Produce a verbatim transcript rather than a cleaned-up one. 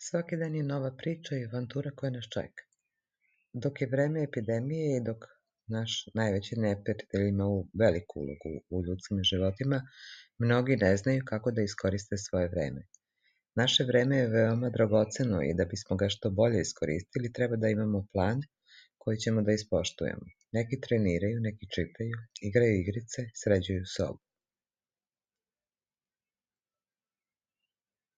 Svaki dan je nova priča i avantura koja nas čeka. Dok je vreme epidemije i dok naš najveći neprijatelj ima u veliku ulogu u ljudskim životima, mnogi ne znaju kako da iskoriste svoje vreme. Naše vreme je veoma dragoceno i da bismo ga što bolje iskoristili, treba da imamo plan koji ćemo da ispoštujemo. Neki treniraju, neki čitaju, igraju igrice, sređuju sobu.